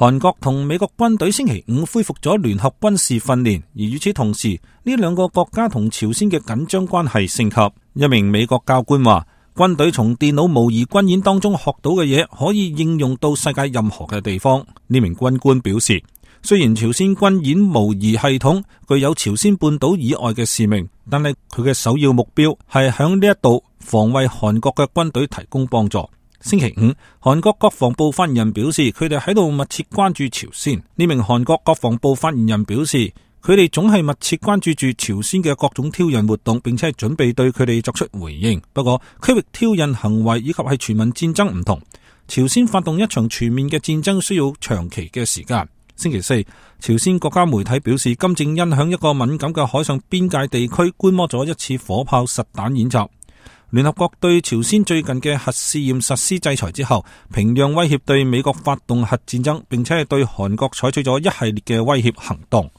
韓國同美國軍隊星期五恢復咗聯合軍事訓練，而與此同時，呢兩個國家同朝鮮嘅緊張關係升級。一名美國教官話，軍隊從電腦模擬軍演當中學到嘅嘢可以應用到世界任何嘅地方。呢名軍官表示，雖然朝鮮軍演模擬系統具有朝鮮半島以外嘅使命，但係佢嘅首要目標係響呢一度防衛韓國嘅軍隊提供幫助。星期五，韓國國防部發言人表示，佢哋喺度密切關注朝鮮。呢名韓國國防部發言人表示，佢哋總係密切關注住朝鮮嘅各種挑釁活動，並且係準備對佢哋作出回應。不過，區域挑釁行為以及係全民戰爭唔同，朝鮮發動一場全面嘅戰爭需要長期嘅時間。星期四，朝鮮國家媒體表示，金正恩響一個敏感嘅海上邊界地區觀摩咗一次火炮實彈演習。聯合國對朝鮮最近嘅核試驗實施制裁之後，平壤威脅對美國發動核戰爭，並且係對韓國採取咗一系列嘅威脅行動。